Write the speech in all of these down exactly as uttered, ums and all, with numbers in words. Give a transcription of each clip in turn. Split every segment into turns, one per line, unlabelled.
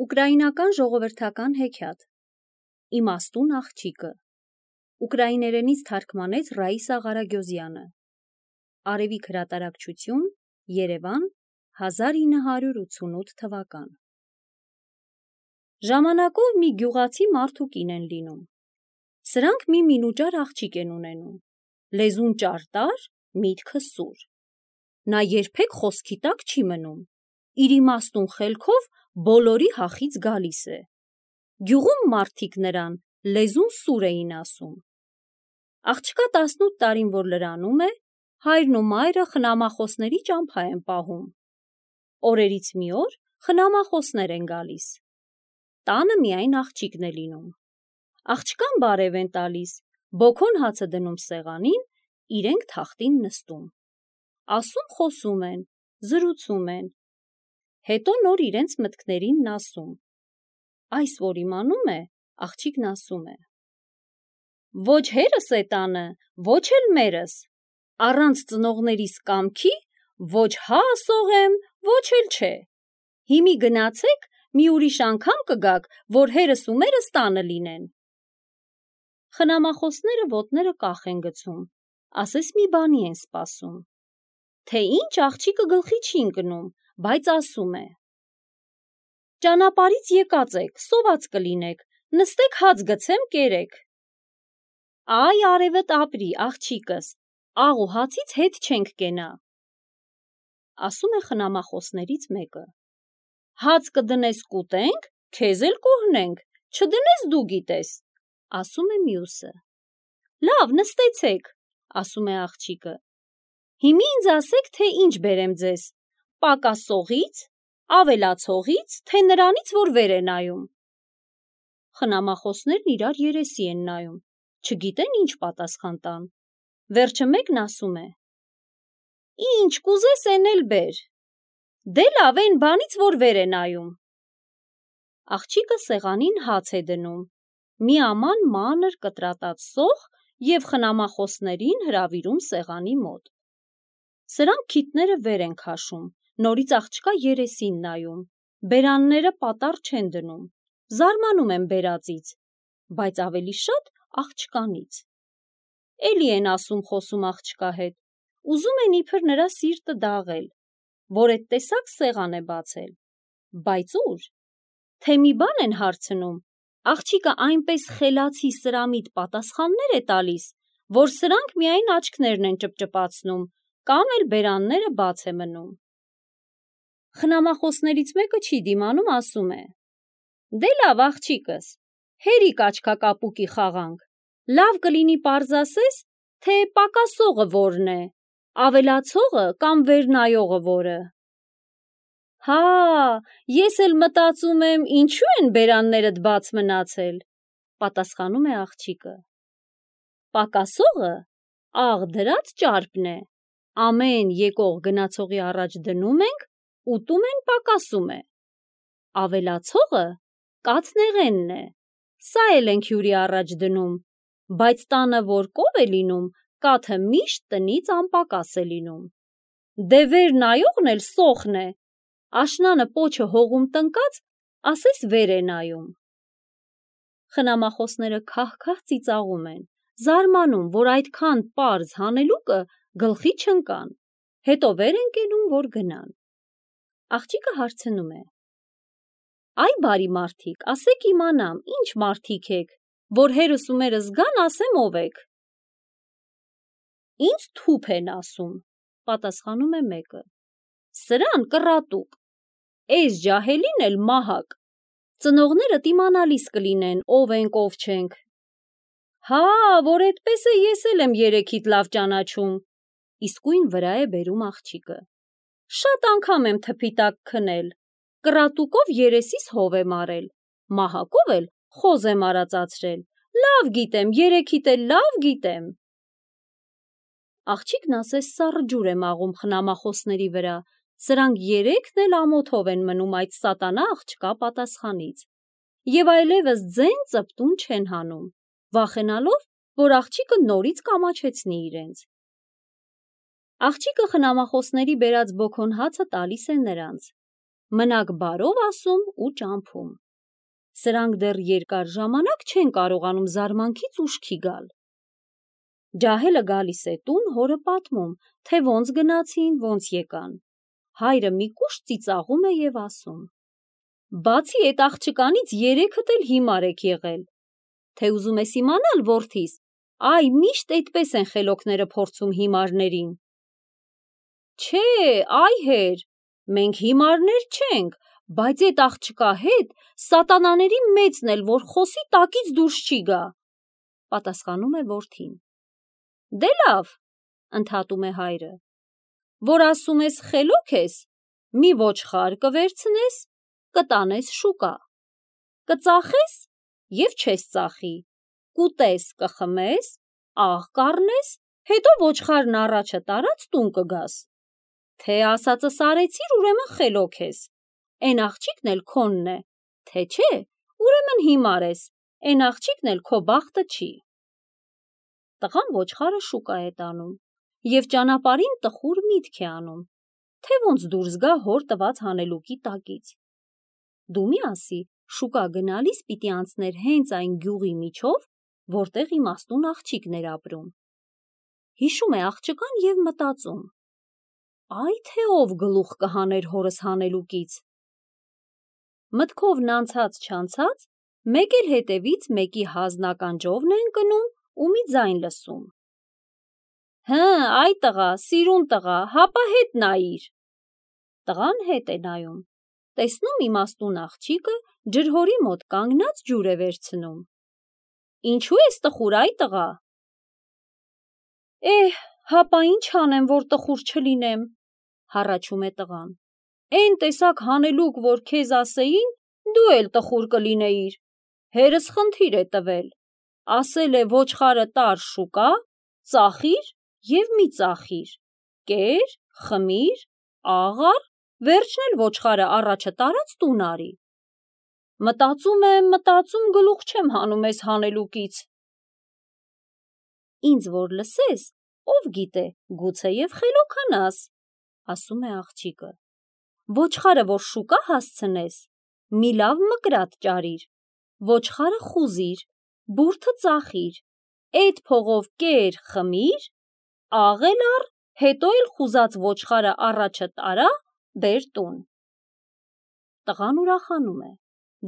Ուկրաինական ժողովրդական հեքիաթ Իմաստուն աղջիկը ուկրաիներենից թարգմանեց Ռաիսա Ղարագյոզյանը Արևիկ հրատարակչություն Երևան հազար ինը հարյուր ութսունութ թվական Ժամանակով մի գյուղացի մարդուկին են լինում Սրանք մի մինուճար աղջիկ են ունենում Լեզուն ճարտար, միտքը սուր Նա երբեք խոսքի տակ չի մնում Իր իմաստուն խելքով բոլորի հախից գալիս է Գյուղում մարդիկ նրան լեզուն սուր էին ասում Աղջկա տասնութ տարին որ լրանում է Հայրն ու մայրը խնամախոսների ճամփա են պահում Օրերից մի օր խնամախոսներ են գալիս Տանը միայն աղջիկն է լինում Աղջկան բարև են տալիս Բոքոն հացը դնում սեղանին Իրենք թախտին նստում Ասում խոսում են Զրուցում են Հետո նոր իրենց մտքերին ասում Այս որ իմանում է Աղջիկն ասում է Ոչ հերս է տանը Ոչ էլ մերս Առանց ծնողներիս կամքի Ոչ հա ասողեմ Ոչ էլ չէ Հիմի գնացեք մի ուրիշ անգամ կգաք Որ հերս ու մերս տանը լինեն Խնամախոսները ոտները կախ են գցում Ասես մի բանի են սպասում Թե ինչ աղջիկը գլխի չի ընկնում Բայց ասում է Ճանապարհից եկած եք, սոված կլինեք, նստեք հաց գցեմ կերեք Այ արևդ ապրի, աղջիկս, աղ ու հացից հետ չենք կենա Ասում է խնամախոսներից մեկը Հաց կդնես կուտենք, քեզ էլ կօրհնենք, չդնես դու գիտես Ասում է մյուսը Լավ, նստեցեք, ասում է աղջիկը Հիմի ինձ ասեք, թե ինչ բերեմ ձեզ Պակասողից, ավելացողից, թե նրանից, որ վեր է նայում Խնամախոսներն իրար երեսի են նայում Չգիտեն ինչ պատասխան տան Վերջը մեկն ասում է Ինչ կուզես են էլ բեր Դե լավ են բանից, որ վեր է նայում Աղջիկը սեղանին հաց է դնում Մի աման մանր կտրատած սոխ և խնամախոսներին հրավիրում սեղանի մոտ Սրանք քիթները վեր են քաշում Նորից աղջկա երեսին նայում Բերանները պատառ չեն դնում Զարմանում են բերածից Բայց ավելի շատ աղջկանից Էլի են ասում խոսում աղջկա հետ Ուզում են իբր նրա սիրտը դաղել Որ էդ տեսակ սեղան է բացել Բայց ուր Թե մի բան են հարցնում Աղջիկը այնպես խելացի սրամիտ պատասխաններ է տալիս Որ սրանք միայն աչքներն են ճպճպացնում Կամ էլ բերանները բաց է մնում Խնամախոսներից մեկը չի դիմանում ասում է Դե լավ աղջիկս Հերիք աչքակապուկի խաղանք Լավ կլինի պարզ ասես Թե պակասողը որն է Ավելացողը կամ վեր նայողը որը Հա ես էլ մտածում եմ Ինչու են բերաններդ բաց մնացել Պատասխանում է աղջիկը Պակասողը աղ դրած ճարպն է Ամեն եկող գնացողի առաջ դնում ենք Ուտում են պակասում է Ավելացողը կաթնեղենն է Սա էլ ենք հյուրի առաջ դնում Բայց տանը որ կով է լինում Կաթը միշտ տնից անպակաս է լինում Դե վեր նայողն էլ սոխն է Աշնանը պոչը հողում տնկած Ասես վեր է նայում Խնամախոսները քահ-քահ ծիծաղում են Զարմանում, որ այդքան պարզ հանելուկը Գլխի չընկան Հետո վեր են կենում, որ գնան Աղջիկը հարցնում է Այ բարի մարդիկ, ասեք իմանամ, ինչ մարդիկ եք Որ հերս ու մերս գան, ասեմ ով եք Ինձ թուփ են ասում Պատասխանում է մեկը Սրան կռատուկ Էս ջահելին էլ մահակ Ծնողներդ իմանալիս կլինեն Ով ենք, ով չենք Հա, որ էդպես է ես էլ եմ երեքիդ լավ ճանաչում Իսկույն վրա է բերում աղջիկը Շատ անգամ եմ թփի տակ քնել Կռատուկով երեսիս հով եմ արել Մահակով էլ խոզ եմ արածացրել Լավ գիտեմ, երեքիդ էլ լավ գիտեմ Աղջիկն ասես սառը ջուր է մաղում խնամախոսների վրա Սրանք երեքն էլ ամոթով են մնում այդ սատանա աղջկա պատասխանից Եվ այլևս ձեն ծպտուն չեն հանում Վախենալով, որ աղջիկը նորից կամաչեցնի իրենց Աղջիկը խնամախոսների բերած բոքոն հացը տալիս է նրանց մնաք բարով ասում ու ճամփում։ Սրանք դեռ երկար ժամանակ չեն կարողանում զարմանքից ուշքի գալ։ Ջահելը գալիս է տուն, հորը պատմում, թե ոնց գնացին, ոնց եկան։ Հայրը մի կուշտ ծիծաղում է եւ ասում. Բացի այդ աղջկանից երեքդ էլ հիմար եք եղել։ Թե ուզում ես իմանալ, որդիս, այ միշտ այդպես են խելոքները փորձում հիմարներին։ Չէ, այ հեր, մենք հիմարներ չենք, բայց այդ աղջկա հետ սատանաների մեծն էլ, որ խոսի տակից դուրս չի գա, պատասխանում է որդին։ Դե լավ, ընդհատում է հայրը, որ ասում ես խելոք ես, մի ոչխար կվերցնես, կտանես շուկա, կծախես և չես ծախի, կուտես, կխմես, աղ կառնես, հետո ոչխարն առաջը տարած տուն կգաս, թե ասածս արեցիր, ուրեմն խելոք ես, էն աղջիկն էլ քոնն է, թե չէ, ուրեմն հիմար ես, էն աղջիկն էլ քո բախտը չի։ Տղան ոչխարը շուկա է տանում և ճանապարհին տխուր միտք է անում, թե ոնց դուրս գա հոր տված հանելուկի տակից։ Դու մի ասի, շուկա գնալիս պիտի անցներ հենց այն գյուղի միջով, որտեղ իմաստուն աղջիկն էր ապրում։ Հիշում է աղջկան և մտածում. Այ թե ով գլուխ կհաներ հորս հանելուկից։ Մտքովն անցած-չանցած, մեկ էլ հետևից մեկի հազնականջովն է ընկնում ու մի ձայն լսում. Հը, այ տղա, սիրուն տղա, հապա հետ նայիր։ Տղան հետ է նայում, տեսնում իմաստուն աղջիկը ջրհորի մոտ կանգնած ջուր է վերցնում։ Ինչու ես տխուր, այ տղա։ Էհ, հապա ինչ անեմ, որ տխուր չլինեմ, հառաչում է տղան։ Էն տեսակ հանելուկ, որ քեզ ասեին, դու էլ տխուր կլինեիր։ Հերս խնդիր է տվել, ասել է ոչխարը տար շուկա, ծախիր և մի ծախիր, կեր, խմիր, աղ առ, վերջն էլ ոչխարը առաջը տարած տուն արի։ Մտածում եմ, մտածում գլուխ չեմ հանում էս հանելուկից։ Ինձ որ լսես, ով գիտե, գուցեև խելոքանաս, ասում է աղջիկը։ Ոչխարը որ շուկա հասցնես, մի լավ մկրատ ճարիր, ոչխարը խուզիր, բուրդը ծախիր, էդ փողով կեր, խմիր, աղ էլ առ, հետո էլ խուզած ոչխարը առաջը տարա, բեր տուն։ Տղան ուրախանում է,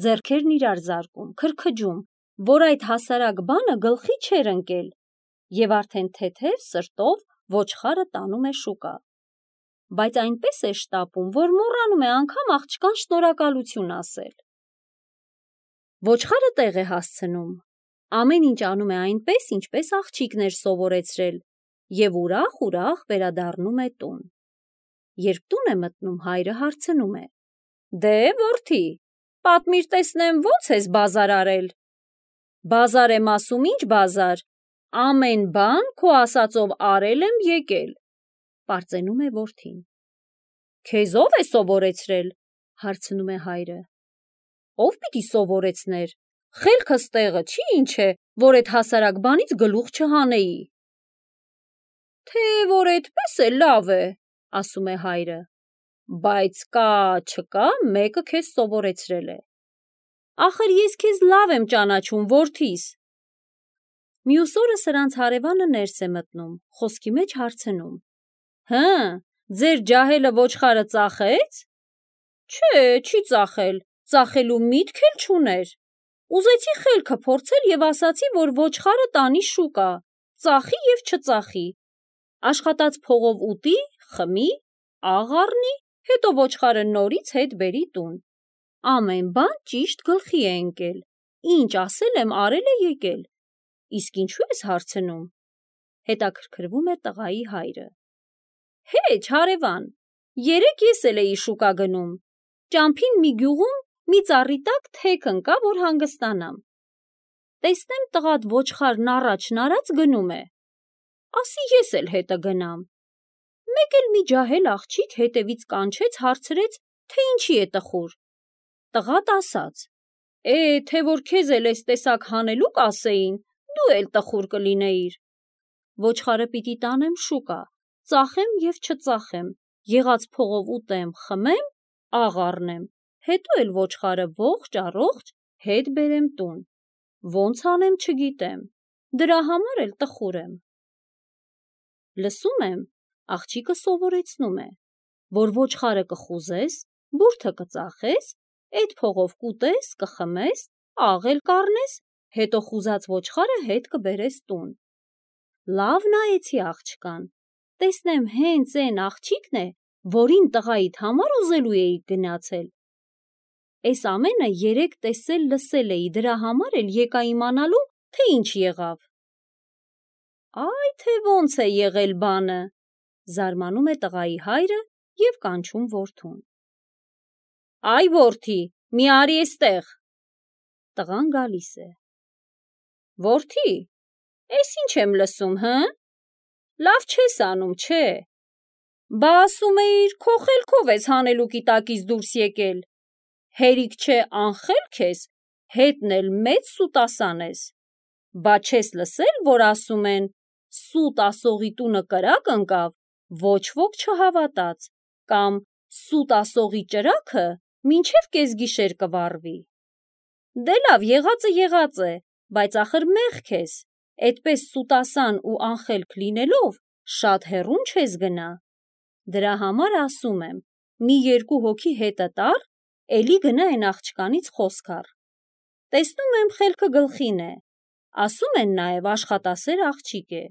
ձեռքերն իրար զարկում, քրքջում, որ այդ հասարակ բանը գլխի չէր ընկել, և արդեն թեթև սրտով ոչխարը տանում է շուկա, բայց այնպես է շտապում, որ մոռանում է անգամ աղջկան շնորհակալություն ասել։ Ոչխարը տեղ է հասցնում, ամեն ինչ անում է այնպես, ինչպես աղջիկն էր սովորեցրել, և ուրախ-ուրախ վերադառնում է տուն։ Երբ տուն է մտնում, հայրը հարցնում է. Դե, որդի, պատմիր տեսնեմ, ո՞նց ես բազար արել։ Բազար եմ ասում, ինչ բազար, ամեն բան քո ասածով արել եմ, եկել, պարծենում է որդին։ Քեզ ով է սովորեցրել, հարցնում է հայրը։ Ով պիտի սովորեցներ, խելքս տեղը չի ինչ է, որ էդ հասարակ բանից գլուխ չհանեի։ Թե որ այդպես է, լավ է, ասում է հայրը, բայց կա, չկա, մեկը քեզ սովորեցրել է։ Ախր ես քեզ լավ եմ ճանաչում, որդիս։ Մյուս օրը սրանց հարևանը ներս է մտնում, խոսքի մեջ հարցնում. Հը, ձեր ջահելը ոչխարը ծախեց։ Չէ, չի ծախել, ծախելու միտք էլ չուներ։ Ուզեցի խելքը փորձել և ասացի, որ ոչխարը տանի շուկա, ծախի և չծախի, աշխատած փողով ուտի, խմի, աղ առնի, հետո ոչխարը նորից հետ բերի տուն։ Ամեն բան ճիշտ գլխի է ընկել, ինչ ասել եմ, արել է եկել, իսկ ինչու ես հարցնում, հետաքրքրվում է տղայի հայրը։ Հեչ, հարևան, երեկ ես էլ էի շուկա գնում, ճամփին մի գյուղում մի ծառի տակ թեք ընկա, որ հանգստանամ։ Տեսնեմ տղադ ոչխարն առաջն արած գնում է, ասի ես էլ հետը գնամ։ Մեկ էլ մի ջահել աղջիկ հետևից կանչեց, հարցրեց, թե ինչի է տխուր։ Տղատ ասաց. Է, թե որ քեզ էլ էս տեսակ հանելուկ ասեին, դու էլ տխուր կլինեիր։ Ոչխարը պիտի տանեմ շուկա, ծախեմ և չծախեմ, եղած փողով ուտեմ, խմեմ, աղ առնեմ, հետո էլ ոչխարը ողջ առողջ հետ բերեմ տուն, ոնց անեմ չգիտեմ, դրա համար էլ տխուր եմ։ Լսում եմ, աղջիկը սովորեցնում է, որ ոչխարը կխուզես, բուրդը կծախես, այդ փողով կուտես, կխմես, աղ էլ կառնես, հետո խուզած ոչխարը հետ կբերես տուն։ Լավ նայեցի աղջկան, տեսնեմ հենց էն աղջիկն է, որին տղայիդ համար ուզելու էիք գնացել։ Էս ամենը երեկ տեսել լսել էի, դրա համար էլ եկա իմանալու, թե ինչ եղավ։ Այ թե ոնց է եղել բանը, զարմանում է տղայի հայրը և կանչում որդուն։ Այ որդի, մի արի էստեղ։ Տղան գալիս է։ Որդի, էս ինչ եմ լսում, հը? Լավ չես անում, չէ։ Բա ասում էիր, քո խելքով ես հանելուկի տակից դուրս եկել։ Հերիք չէ անխելք ես, հետն էլ մեծ սուտասան ես։ Բա չես լսել, որ ասում են, սուտ ասողի տունը կրակ ընկավ, ոչ ոք չհավատաց, կամ սուտ ասողի ճրագը մինչև կեսգիշեր կվառվի։ Դե լավ, եղածը եղած է, բայց ախր մեղք ես, էդպես սուտասան ու անխելք լինելով շատ հեռուն չես գնա։ Դրա համար ասում եմ, մի երկու հոգի հետդ առ, էլի գնա էն աղջկանից խոսք առ։ Տեսնում եմ խելքը գլխին է, ասում են նաև աշխատասեր աղջիկ է։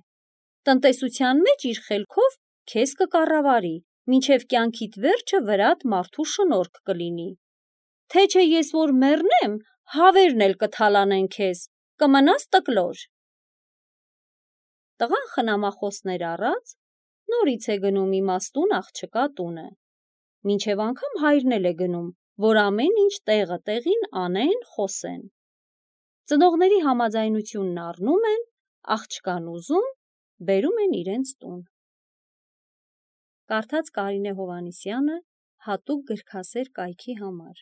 Տնտեսության մեջ իր խելքով քեզ կկառավարի, մինչև կյանքիդ վերջը վրադ մարդու շնորհք կլինի։ Թե չէ ես որ մեռնեմ, հավերն էլ կթալանեն քեզ, կմնաս տկլոր։ Տղան խնամախոսներ առած, նորից է գնում իմաստուն աղջկա տունը։ Մինչև անգամ հայրն էլ է գնում, որ ամեն ինչ տեղը տեղին անեն, խոսեն։ Ծնողների համաձայնությունն առնում են, աղջկան ուզում, բերում են իրենց տուն։ Կարդաց Կարինե Հովհաննիսյանը հատուկ գրքասեր կայքի համար։